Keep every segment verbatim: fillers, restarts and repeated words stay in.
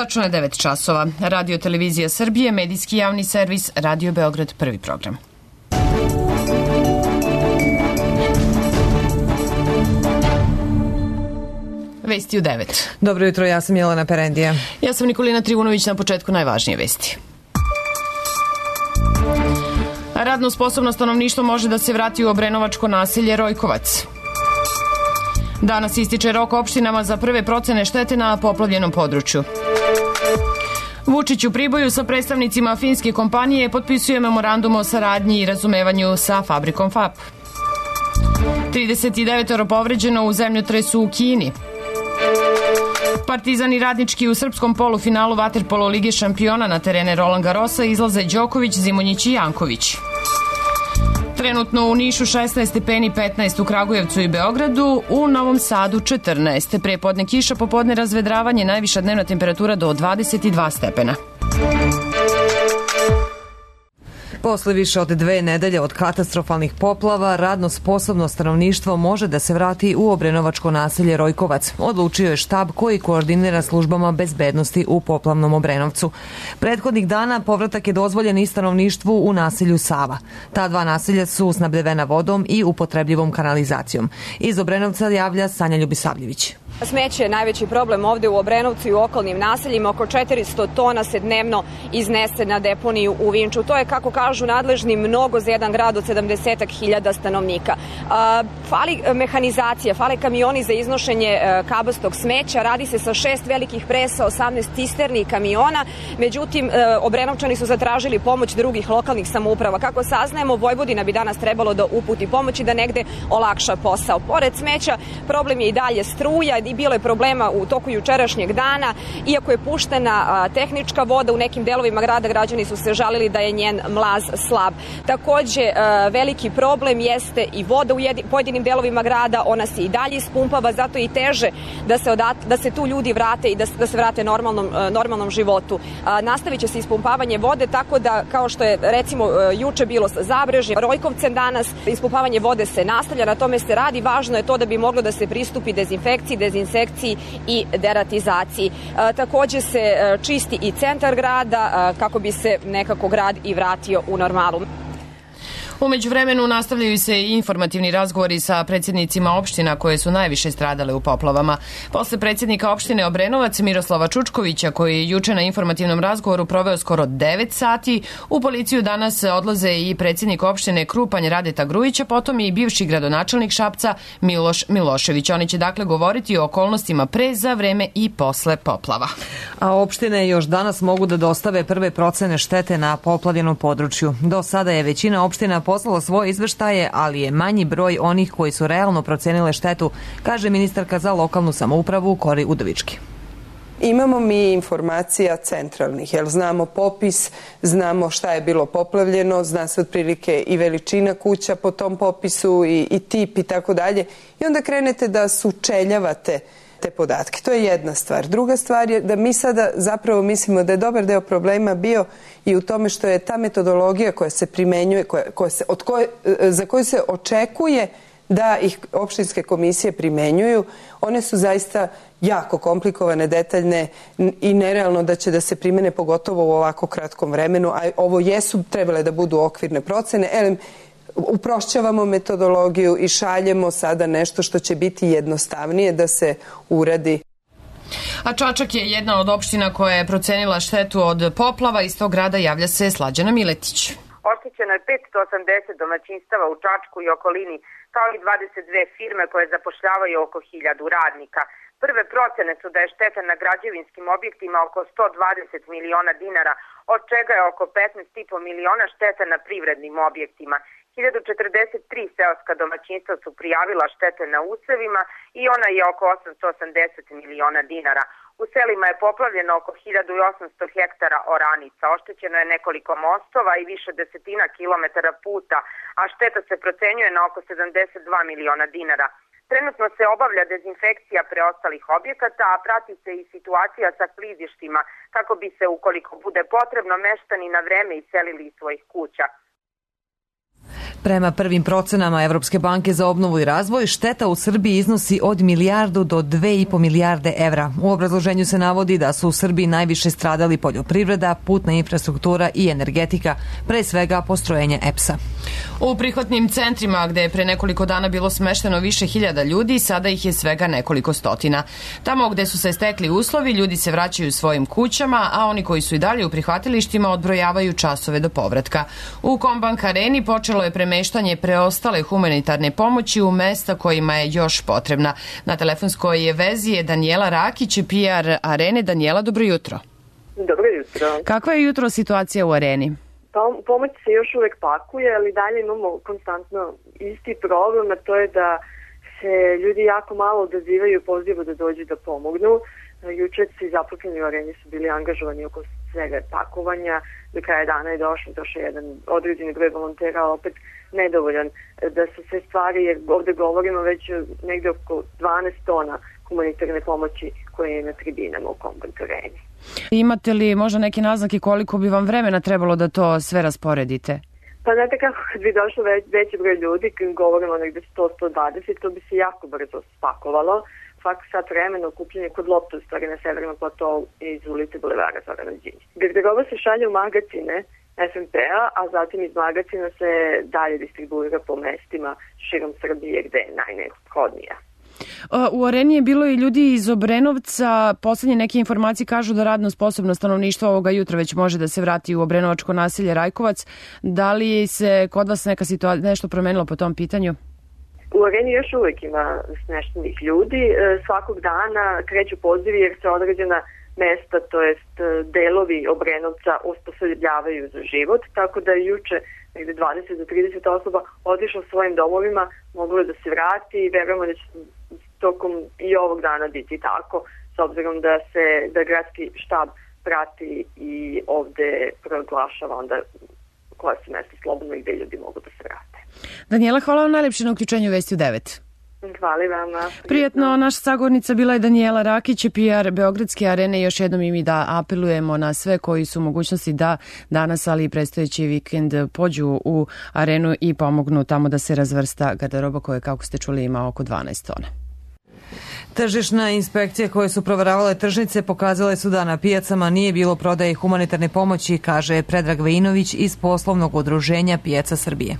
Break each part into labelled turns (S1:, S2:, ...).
S1: Tačno je devet časova. Radio Televizija Srbije, medijski javni servis, Radio Beograd, prvi program. Vesti u devet.
S2: Dobro jutro, ja sam Jelena Perendija.
S1: Ja sam Nikolina Trivunović, na početku najvažnije vesti. Radno sposobno stanovništvo može da se vrati u obrenovačko naselje Rojkovac. Danas ističe rok opštinama za prve procene štete na poplavljenom području. Vučić u Priboju sa predstavnicima finske kompanije potpisuje memorandum o saradnji i razumevanju sa fabrikom F A P. trideset devet povređeno u zemljotresu u Kini. Partizan i Radnički u srpskom polufinalu vaterpolo Lige šampiona na terene Roland Garrosa izlaze Đoković, Zimonjić i Janković. Trenutno u Nišu šesnaest stepeni, petnaest u Kragujevcu i Beogradu, u Novom Sadu četrnaest. Prepodne kiša, popodne razvedravanje, najviša dnevna temperatura do dvadeset dva stepena.
S2: Posle više od dve nedelje od katastrofalnih poplava, radno sposobno stanovništvo može da se vrati u obrenovačko naselje Rojkovac. Odlučio je štab koji koordinira službama bezbednosti u poplavnom Obrenovcu. Prethodnih dana povratak je dozvoljen i stanovništvu u naselju Sava. Ta dva naselja su snabdevena vodom i upotrebljivom kanalizacijom. Iz Obrenovca javlja Sanja Ljubisavljević.
S3: Smeće je najveći problem ovde u Obrenovcu i u okolnim naseljima. Oko četiristo tona se dnevno iznese na deponiju u Vinču. To je, kako kažu nadležni, mnogo za jedan grad od sedamdeset hiljada stanovnika. Fali mehanizacija, fale kamioni za iznošenje kabastog smeća. Radi se sa šest velikih presa, osamnaest cisterni kamiona. Međutim, Obrenovčani su zatražili pomoć drugih lokalnih samouprava. Kako saznajemo, Vojvodina bi danas trebalo da uputi pomoć i da negde olakša posao. Pored smeća, problem je i dalje struja. I bilo je problema u toku jučerašnjeg dana. Iako je puštena a, tehnička voda u nekim delovima grada, građani su se žalili da je njen mlaz slab. Takođe, a, veliki problem jeste i voda u jedi, pojedinim delovima grada. Ona se i dalje ispumpava, zato i teže da se, odat, da se tu ljudi vrate i da, da se vrate normalnom, a, normalnom životu. A, nastavit će se ispumpavanje vode, tako da, kao što je recimo a, juče bilo sa Zabrežjem, Rojkovcem danas, ispumpavanje vode se nastavlja, na tome se radi. Važno je to da bi moglo da se pristupi dezinfekciji, dezinsekciji i deratizaciji. E, takođe se e, čisti i centar grada e, kako bi se nekako grad i vratio u normalu.
S1: Umeđu vremenu nastavljaju se i informativni razgovori sa predsjednicima opština koje su najviše stradale u poplavama. Posle predsjednika opštine Obrenovac Miroslava Čučkovića, koji je juče na informativnom razgovoru proveo skoro devet sati, u policiju danas odlaze i predsjednik opštine Krupanj Radeta Grujića, potom i bivši gradonačelnik Šapca Miloš Milošević. Oni će dakle govoriti o okolnostima pre, za vreme i posle poplava.
S2: A opštine još danas mogu da dostave prve procene štete na poplavljenom području. Do sada je većina opština poslala svoje izveštaje, ali je manji broj onih koji su realno procenile štetu, kaže ministarka za lokalnu samoupravu Kori Udovički.
S4: Imamo mi informacija centralnih, jer znamo popis, znamo šta je bilo poplavljeno, zna se otprilike i veličina kuća po tom popisu i, i tip i tako dalje. I onda krenete da sučeljavate te podatke. To je jedna stvar. Druga stvar je da mi sada zapravo mislimo da je dobar deo problema bio i u tome što je ta metodologija koja se primenjuje, koja, koja se, od koje, za koju se očekuje da ih opštinske komisije primenjuju, one su zaista jako komplikovane, detaljne i nerealno da će da se primene, pogotovo u ovako kratkom vremenu, a ovo jesu trebale da budu okvirne procene. Elem, uprošćavamo metodologiju i šaljemo sada nešto što će biti jednostavnije da se uradi.
S1: A Čačak je jedna od opština koja je procenila štetu od poplava. Iz tog grada javlja se Slađana Miletić.
S5: Oštećeno je petsto osamdeset domaćinstava u Čačku i okolini, kao i dvadeset dve firme koje zapošljavaju oko hiljadu radnika. Prve procene su da je šteta na građevinskim objektima oko sto dvadeset miliona dinara, od čega je oko petnaest i po miliona šteta na privrednim objektima. hiljadu četrdeset tri seoska domaćinstva su prijavila štete na usevima i ona je oko osamsto osamdeset miliona dinara. U selima je poplavljeno oko hiljadu osamsto hektara oranica, oštećeno je nekoliko mostova i više desetina kilometara puta, a šteta se procenjuje na oko sedamdeset dva miliona dinara. Trenutno se obavlja dezinfekcija preostalih objekata, a prati se i situacija sa klizištima kako bi se, ukoliko bude potrebno, meštani na vreme iselili iz svojih kuća.
S2: Prema prvim procenama Evropske banke za obnovu i razvoj, šteta u Srbiji iznosi od milijardu do dve i po milijarde evra. U obrazloženju se navodi da su u Srbiji najviše stradali poljoprivreda, putna infrastruktura i energetika, pre svega postrojenje E P S-a.
S1: U prihvatnim centrima gde je pre nekoliko dana bilo smešteno više hiljada ljudi, sada ih je svega nekoliko stotina. Tamo gde su se stekli uslovi, ljudi se vraćaju svojim kućama, a oni koji su i dalje u prihvatilištima odbrojavaju časove do povratka. U Kombank areni počelo je premeštanje preostale humanitarne pomoći u mesta kojima je još potrebna. Na telefonskoj vezi je Danijela Rakić, P R arene. Danijela, dobro jutro.
S6: Dobro jutro.
S1: Kakva je jutro situacija u areni?
S6: Pomoć se još uvek pakuje, ali dalje imamo konstantno isti problem, a to je da se ljudi jako malo odazivaju pozivu da dođu da pomognu. Juče svi zaposleni u areni su bili angažovani oko svega pakovanja. Do kraja dana je došao, došao jedan određeni broj volontera, opet nedovoljan da su sve stvari, jer ovde govorimo već negde oko dvanaest tona humanitarne pomoći koje je na tribinama u Kombank areni.
S1: Imate li možda neke naznake koliko bi vam vremena trebalo da to sve rasporedite?
S6: Pa znate kako, kad bi došlo već, veći broj ljudi, kad govorimo negde sto do sto dvadeset, to bi se jako brzo spakovalo. Svaki sat vremena okupljanje kod lopta, u stvari na severnom platovu iz ulice Bulevara Zorana Đinđića. Garderoba se šalje u magacine S M P-a, a zatim iz magacina se dalje distribuira po mestima širom Srbije gde je najneophodnija.
S1: U areni je bilo i ljudi iz Obrenovca. Poslednje neke informacije kažu da radno sposobno stanovništvo ovoga jutra već može da se vrati u obrenovačko naselje Rajkovac. Da li se kod vas neka situacija nešto promenilo po tom pitanju?
S6: U areni još uvek ima smeštenih ljudi. Svakog dana kreću pozivi jer se određena mesta, to jest delovi Obrenovca osposobljavaju za život, tako da je juče negde dvadeset do trideset osoba otišlo svojim domovima, moglo je da se vrati i verujemo da će tokom i ovog dana biti tako, s obzirom da se da gradski štab prati i ovde proglašava onda koja su mesta slobodno i gde ljudi mogu da se vrate.
S1: Danijela, hvala vam najlepše na uključenju Vesti u devet.
S6: Hvala vama.
S1: Prijetno, naša sagovornica bila je Danijela Rakić, P R Beogradske arene. Još jednom i mi da apelujemo na sve koji su u mogućnosti da danas, ali i predstojeći vikend, pođu u arenu i pomognu tamo da se razvrsta garderoba koja, kako ste čuli, ima oko dvanaest tona.
S2: Tržišna inspekcija koje su proveravale tržnice pokazale su da na pijacama nije bilo prodaje humanitarne pomoći, kaže Predrag Vejinović iz poslovnog udruženja Pijaca Srbije.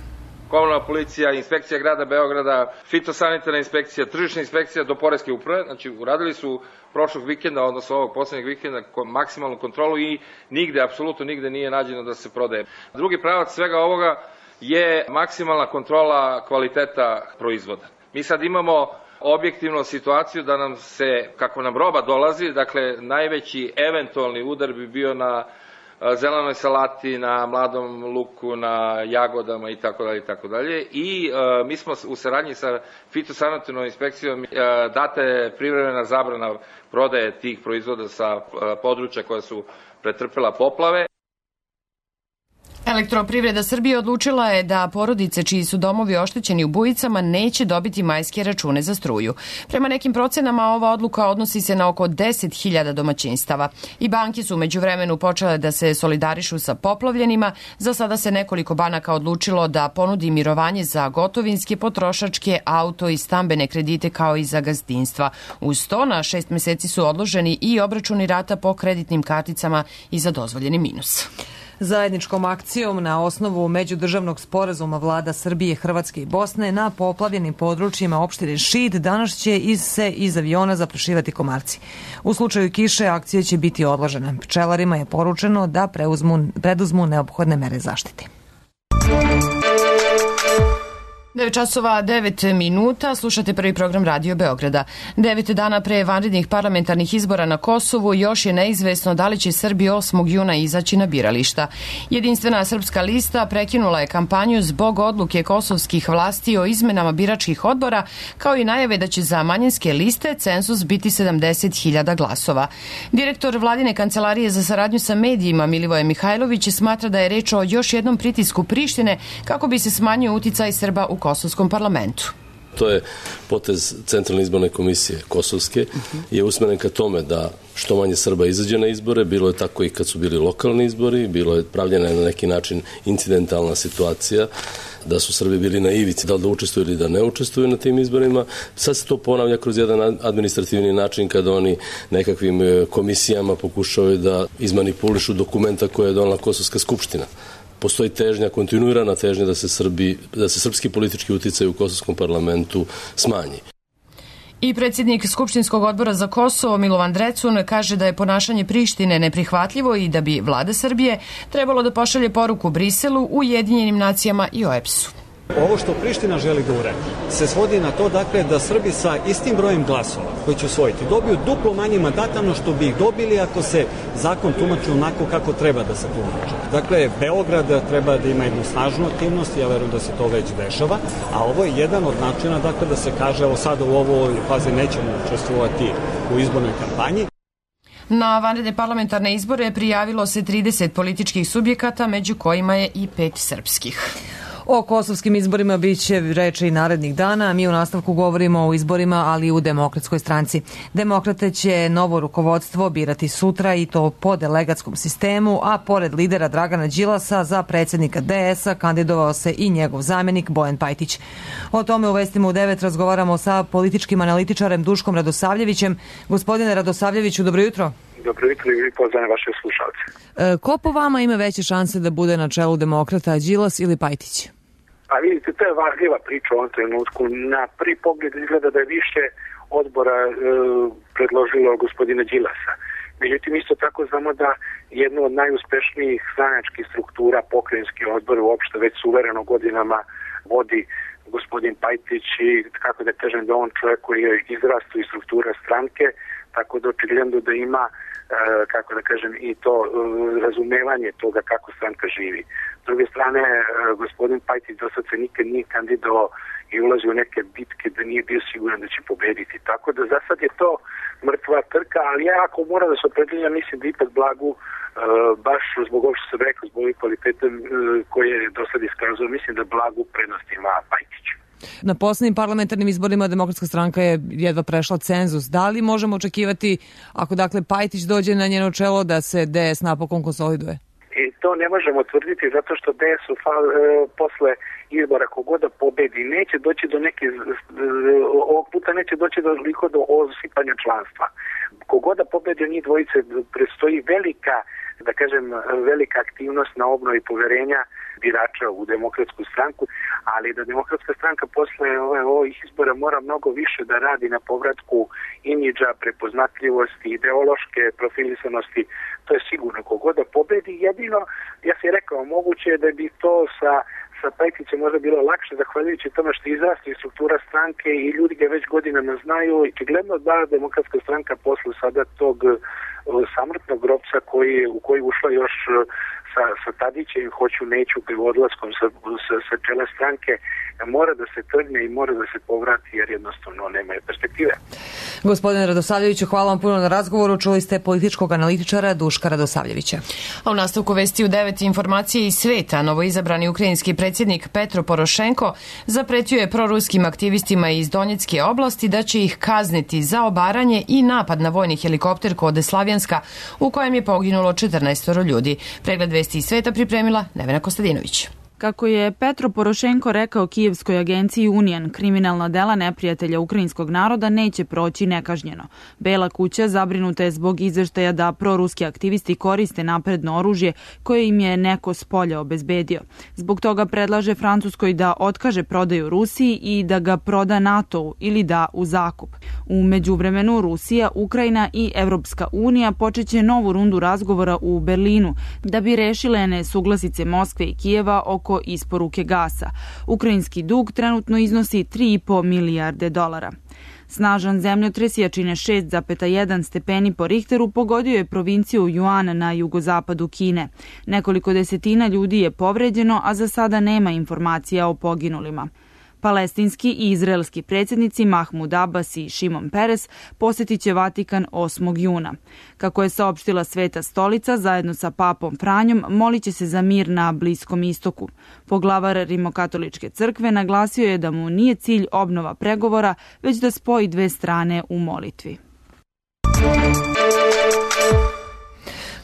S7: Komunalna policija, inspekcija grada Beograda, fitosanitarna inspekcija, tržišna inspekcija do poreske uprave, znači uradili su prošlog vikenda, odnosno ovog poslednjeg vikenda, maksimalnu kontrolu i nigde, apsolutno nigde nije nađeno da se prodaje. Drugi pravac svega ovoga je maksimalna kontrola kvaliteta proizvoda. Mi sad imamo objektivnu situaciju da nam se, kako nam roba dolazi, dakle najveći eventualni udar bi bio na zelenoj salati, na mladom luku, na jagodama i tako dalje i tako dalje. I e, mi smo u saradnji sa fitosanitarnom inspekcijom e, date privremena zabrana prodaje tih proizvoda sa e, područja koja su pretrpela poplave.
S1: Elektroprivreda Srbije odlučila je da porodice čiji su domovi oštećeni u bujicama neće dobiti majske račune za struju. Prema nekim procenama ova odluka odnosi se na oko deset hiljada domaćinstava. I banke su umeđu vremenu počele da se solidarišu sa poplavljenima. Za sada se nekoliko banaka odlučilo da ponudi mirovanje za gotovinske, potrošačke, auto i stambene kredite kao i za gazdinstva. Uz to na šest meseci su odloženi i obračuni rata po kreditnim karticama i za dozvoljeni minus.
S2: Zajedničkom akcijom na osnovu međudržavnog sporazuma vlada Srbije, Hrvatske i Bosne na poplavljenim područjima opštine Šid danas će iz se iz aviona zaprašivati komarci. U slučaju kiše akcija će biti odložena. Pčelarima je poručeno da preuzmu, preduzmu neophodne mere zaštite.
S1: devet časova devet minuta, slušate prvi program Radio Beograda. Devet dana pre vanrednih parlamentarnih izbora na Kosovu još je neizvesno da li će Srbi osmog juna izaći na birališta. Jedinstvena srpska lista prekinula je kampanju zbog odluke kosovskih vlasti o izmenama biračkih odbora, kao i najave da će za manjinske liste cenzus biti sedamdeset hiljada glasova. Direktor vladine kancelarije za saradnju sa medijima Milivoje Mihajlović smatra da je reč o još jednom pritisku Prištine kako bi se smanjio uticaj Srba u kosovskom parlamentu.
S8: To je potez Centralne izborne komisije kosovske, je usmeren ka tome da što manje Srba izađe na izbore, bilo je tako i kad su bili lokalni izbori, bilo je pravljena na neki način incidentalna situacija, da su Srbi bili na ivici, da li da učestvuju ili da ne učestvuju na tim izborima. Sad se to ponavlja kroz jedan administrativni način kada oni nekakvim komisijama pokušavaju da izmanipulišu dokumenta koje je donela Kosovska skupština. Postoji težnja, kontinuirana težnja da se, Srbi, da se srpski politički uticaj u Kosovskom parlamentu smanji.
S1: I predsjednik Skupštinskog odbora za Kosovo Milovan Drecun kaže da je ponašanje Prištine neprihvatljivo i da bi vlada Srbije trebalo da pošalje poruku Briselu, Ujedinjenim nacijama i O E B S-u.
S9: Ovo što Priština želi da uradi se svodi na to dakle, da Srbi sa istim brojem glasova koji će usvojiti dobiju duplo manje mandata no što bi ih dobili ako se zakon tumači onako kako treba da se tumači. Dakle, Beograd treba da ima jednu snažnu aktivnost, ja verujem da se to već dešava, a ovo je jedan od načina dakle, da se kaže evo sada u ovoj fazi nećemo učestvovati u izbornoj kampanji.
S1: Na vanredne parlamentarne izbore prijavilo se trideset političkih subjekata, među kojima je i pet srpskih.
S2: O kosovskim izborima bit će reči i narednih dana. Mi u nastavku govorimo o izborima, ali i u Demokratskoj stranci. Demokrate će novo rukovodstvo birati sutra i to po delegatskom sistemu, a pored lidera Dragana Đilasa za predsjednika D S-a kandidovao se i njegov zamjenik Bojan Pajtić. O tome u Vestima u devet razgovaramo sa političkim analitičarem Duškom Radosavljevićem. Gospodine Radosavljeviću, dobro jutro.
S10: Dobro jutro i pozdravljam vaše slušalce.
S2: E, ko po vama ima veće šanse da bude na čelu Demokrata, Đilas ili Pajtić?
S10: A vidite, to je varljiva priča u ovom trenutku. Na prvi pogled izgleda da je više odbora e, predložilo gospodina Đilasa. Međutim, isto tako znamo da jednu od najuspešnijih stranačkih struktura, pokrajinski odbor, uopšte već suvereno godinama vodi gospodin Pajtić i kako da kažem da on čovjek koji je izrastao iz struktura stranke, tako da očigledno da ima kako da kažem i to razumevanje toga kako stranka živi. S druge strane, gospodin Pajtić do sad se nikad nije kandidovao i ulazio u neke bitke da nije bio siguran da će pobediti. Tako da za sad je to mrtva trka, ali ja ako moram da se opredelim, mislim da ipak Blagu, baš zbog ovog što sam rekao, zbog ovih kvaliteta koje je do sad iskazao, mislim da Blagu prednost ima Pajtić.
S2: Na poslednjim parlamentarnim izborima Demokratska stranka je jedva prešla cenzus. Da li možemo očekivati, ako dakle Pajtić dođe na njeno čelo, da se D S napokon konsoliduje?
S10: I to ne možemo tvrditi zato što D S u fal, e, posle izbora kogoda pobedi neće doći do neke, ovog puta neće doći do liko do osipanja članstva. Kogoda pobedi njih dvojice predstoji velika, da kažem, velika aktivnost na obnovi poverenja birača u Demokratsku stranku, ali da Demokratska stranka posle ovih izbora mora mnogo više da radi na povratku imidža, prepoznatljivosti, ideološke profilisanosti, to je sigurno. Kogoda pobedi, jedino, ja sam rekao, moguće je da bi to sa sa Pajtićem možda bilo lakše zahvaljujući tome što izrasti struktura stranke i ljudi ga već godinama znaju i očigledno da Demokratska stranka posle sada tog samrtnog grobca koji, u koji ušla još sa, sa Tadićem, hoću neću odlaskom sa, sa, sa čela stranke, mora da se trgne i mora da se povrati jer jednostavno nema perspektive.
S2: Gospodine Radosavljeviću, hvala vam puno na razgovoru. Čuli ste političkog analitičara Duška Radosavljevića.
S1: A u nastavku Vesti u devet informacije iz sveta, novoizabrani ukrajinski predsjednik Petro Porošenko zapretio je proruskim aktivistima iz Donjecke oblasti da će ih kazniti za obaranje i napad na vojni helikopter kod Slavjanska u kojem je poginulo četrnaest ljudi. Pregled Vesti iz sveta pripremila Nevena Kostadinović.
S11: Kako je Petro Porošenko rekao kijevskoj agenciji Union, kriminalna dela neprijatelja ukrajinskog naroda neće proći nekažnjeno. Bela kuća zabrinuta je zbog izveštaja da proruski aktivisti koriste napredno oružje koje im je neko s polja obezbedio. Zbog toga predlaže Francuskoj da otkaže prodaju Rusiji i da ga proda NATO-u ili da u zakup. U međuvremenu Rusija, Ukrajina i Evropska unija počeće novu rundu razgovora u Berlinu da bi rešile nesuglasice Moskve i Kijeva oko isporuke gasa. Ukrajinski dug trenutno iznosi tri i po milijarde dolara. Snažan zemljotres jačine šest zarez jedan stepeni po Richteru pogodio je provinciju Juan na jugozapadu Kine. Nekoliko desetina ljudi je povređeno, a za sada nema informacija o poginulima. Palestinski i izraelski predsjednici Mahmud Abbas i Šimon Peres posjetit će Vatikan osmog juna. Kako je saopštila Sveta stolica, zajedno sa papom Franjom molit će se za mir na Bliskom istoku. Poglavar Rimokatoličke crkve naglasio je da mu nije cilj obnova pregovora, već da spoji dve strane u molitvi.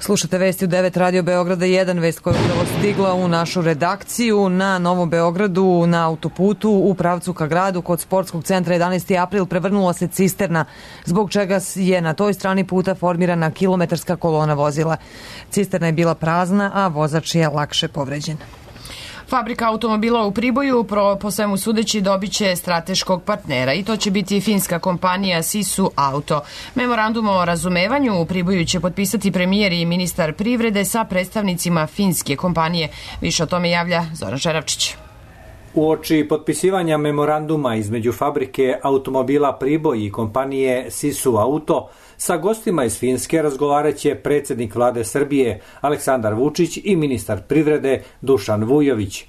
S2: Slušate vesti u devet Radio Beograda jedan, vest koja je upravo stigla u našu redakciju. Na Novom Beogradu, na autoputu u pravcu ka gradu kod sportskog centra jedanaesti april prevrnula se cisterna, zbog čega je na toj strani puta formirana kilometarska kolona vozila. Cisterna je bila prazna, a vozač je lakše povređen.
S1: Fabrika automobila u Priboju pro, po svemu sudeći dobit će strateškog partnera i to će biti finska kompanija Sisu Auto. Memorandum o razumevanju u Priboju će potpisati premijer i ministar privrede sa predstavnicima finske kompanije. Više o tome javlja Zoran Žeravčić.
S12: Uoči potpisivanja memoranduma između fabrike automobila Priboj i kompanije Sisu Auto, sa gostima iz Finske razgovarat će predsjednik vlade Srbije Aleksandar Vučić i ministar privrede Dušan Vujović.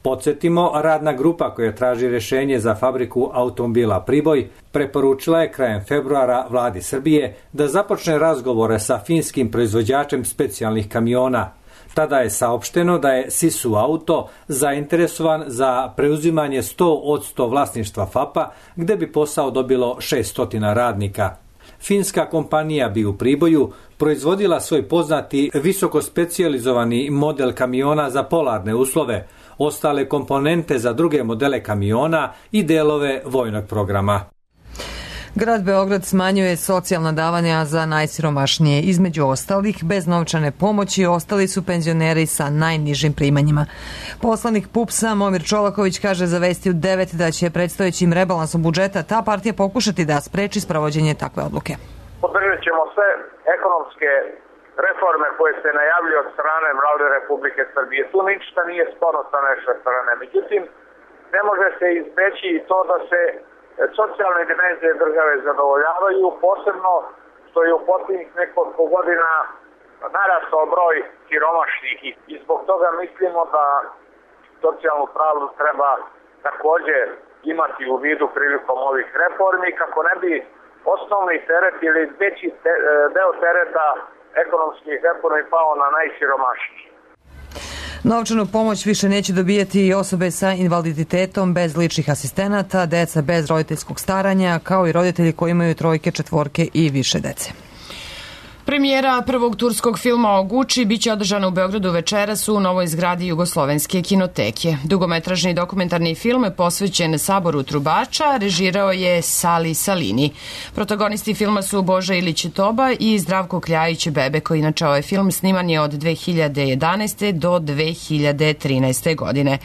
S12: Podsjetimo, radna grupa koja traži rješenje za fabriku automobila Priboj preporučila je krajem februara vladi Srbije da započne razgovore sa finskim proizvođačem specijalnih kamiona. Tada je saopšteno da je Sisu Auto zainteresovan za preuzimanje sto posto vlasništva F A P-a, gde bi posao dobilo šesnaest radnika. Finska kompanija bi u Priboju proizvodila svoj poznati visoko specijalizovani model kamiona za polarne uslove, ostale komponente za druge modele kamiona i delove vojnog programa.
S2: Grad Beograd smanjuje socijalna davanja za najsiromašnije. Između ostalih, bez novčane pomoći ostali su penzioneri sa najnižim primanjima. Poslanik P U P S-a Momir Čolaković kaže za Vesti u devet da će predstojećim rebalansom budžeta ta partija pokušati da spreči sprovođenje takve odluke.
S13: Podržat ćemo sve ekonomske reforme koje se najavljuju od strane Vlade Republike Srbije. Tu ništa nije sporno sa naše strane. Međutim, ne može se izbeći i to da se socijalne dimenzije države zadovoljavaju, posebno što je u posljednjih nekoliko godina narastao broj siromašnih i zbog toga mislimo da socijalnu pravdu treba također imati u vidu prilikom ovih reformi kako ne bi osnovni teret ili veći te, deo tereta ekonomskih reformi pao na najsiromašniji.
S2: Novčanu pomoć više neće dobijati i osobe sa invaliditetom bez ličnih asistenata, deca bez roditeljskog staranja, kao i roditelji koji imaju trojke, četvorke i više dece.
S1: Premijera prvog turskog filma o Guči biće održana u Beogradu večeras u novoj zgradi Jugoslovenske kinoteke. Dugometražni dokumentarni film posvećen saboru trubača režirao je Sali Salini. Protagonisti filma su Boža Ilić Toba i Zdravko Kljajić Bebe, koji inače ovaj film sniman je od dve hiljade jedanaeste. do dve hiljade trinaeste. godine.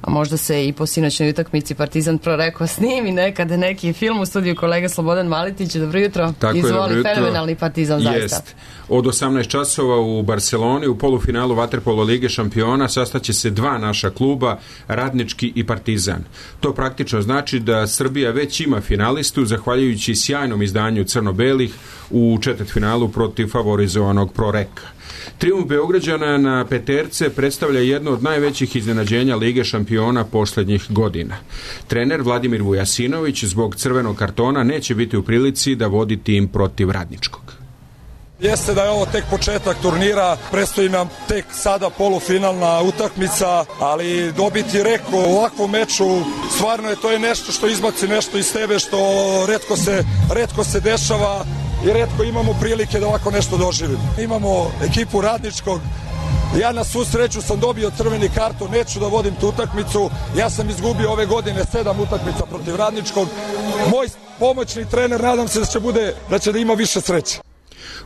S1: A možda se i po sinoćnoj utakmici Partizan prorekao snimi nekad neki film. U studiju kolega Slobodan Malitić. Dobro jutro.
S14: Tako
S1: Izvoli,
S14: je, dobro jutro.
S1: Fenomenalni Partizan zaista.
S14: Jest. Od osamnaest časova u Barceloni u polufinalu Vaterpolo Lige šampiona sastaće se dva naša kluba, Radnički i Partizan. To praktično znači da Srbija već ima finalistu zahvaljujući sjajnom izdanju crno-belih u četvrtfinalu protiv favorizovanog Proreka. Trijumf Beograđana na peterce predstavlja jedno od najvećih iznenađenja Lige šampiona posljednjih godina. Trener Vladimir Vujasinović zbog crvenog kartona neće biti u prilici da vodi tim protiv Radničkog.
S15: Jeste da je ovo tek početak turnira, predstoji nam tek sada polufinalna utakmica, ali dobiti Reko u ovakvom meču, stvarno je to je nešto što izbaci nešto iz tebe, što retko se, retko se dešava i retko imamo prilike da ovako nešto doživimo. Imamo ekipu Radničkog, ja na svu sreću sam dobio crveni karton, neću da vodim tu utakmicu, ja sam izgubio ove godine sedam utakmica protiv Radničkog. Moj pomoćni trener, nadam se da će, bude, da će da ima više sreće.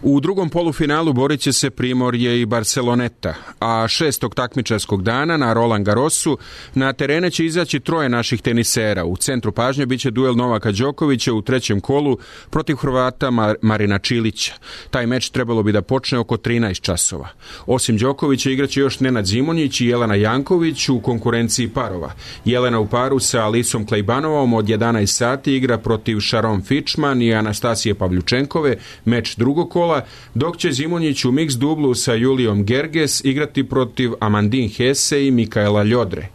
S14: U drugom polufinalu borit će se Primorje i Barceloneta, a šestog takmičarskog dana na Roland Garrosu na terene će izaći troje naših tenisera. U centru pažnje biće duel Novaka Đokovića u trećem kolu protiv Hrvata Marina Čilića. Taj meč trebalo bi da počne oko trinaest časova. Osim Đokovića igraće još Nenad Zimonjić i Jelena Janković u konkurenciji parova. Jelena u paru sa Alisom Klejbanovom od jedanaest sati igra protiv Sharon Fičman i Anastasije Pavljučenkove, meč drugog drugog kola, dok će Zimonjić u mix dublu sa Julijom Gerges igrati protiv Amandine Hesse i Mikaela Ljodre.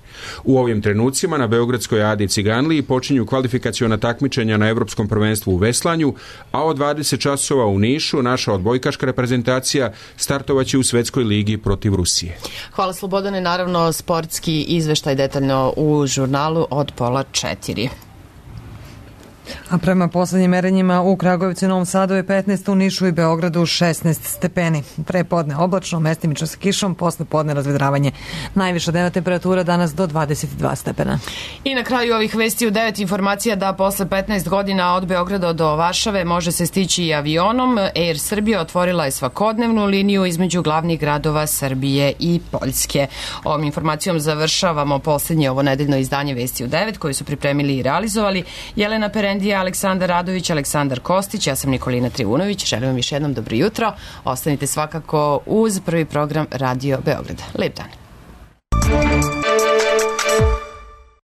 S14: U ovim trenucima na Beogradskoj Adi Ciganliji počinju kvalifikaciona takmičenja na Evropskom prvenstvu u veslanju, a od dvadeset časova u Nišu naša odbojkaška reprezentacija startovaće u Svetskoj ligi protiv Rusije.
S1: Hvala Slobodane, naravno sportski izveštaj detaljno u žurnalu od pola četiri.
S2: A prema poslednjim merenjima u Kragujevcu i Novom Sadu je petnaest, u Nišu i Beogradu šesnaest stepeni. Pre podne oblačno, mestimično sa kišom, posle podne razvedravanje. Najviša dnevna temperatura danas do dvadeset dva stepena.
S1: I na kraju ovih vesti u devet informacija da posle petnaest godina od Beograda do Varšave može se stići i avionom. Air Srbija otvorila je svakodnevnu liniju između glavnih gradova Srbije i Poljske. Ovom informacijom završavamo poslednje ovo nedeljno izdanje Vesti u devet koje su pripremili i realizovali Jelena Perendija, Aleksandar Radović, Aleksandar Kostić, ja sam Nikolina Trivunović. Želim vam još jednom dobro jutro. Ostanite svakako uz prvi program Radio Beograda. Lep dan.